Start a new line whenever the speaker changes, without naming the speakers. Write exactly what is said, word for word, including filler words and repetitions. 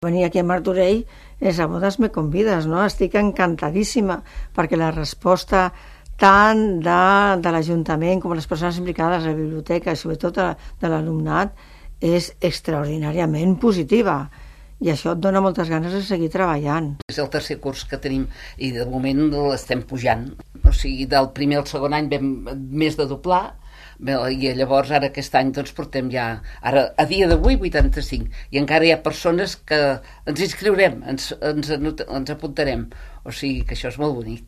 Venir aquí a Martorell és a bodes me convides, no? Estic encantadíssima perquè la resposta tant de, de l'Ajuntament com les persones implicades a la biblioteca i sobretot de, de l'alumnat és extraordinàriament positiva i això et dona moltes ganes de seguir treballant.
És el tercer curs que tenim i de moment l'estem pujant, o sigui, del primer al segon any vam més de doblar. Bé, i llavors ara aquest any doncs portem ja, ara a dia d'avui vuitanta-cinc i encara hi ha persones que ens inscriurem, ens, ens, ens apuntarem, o sigui que això és molt bonic.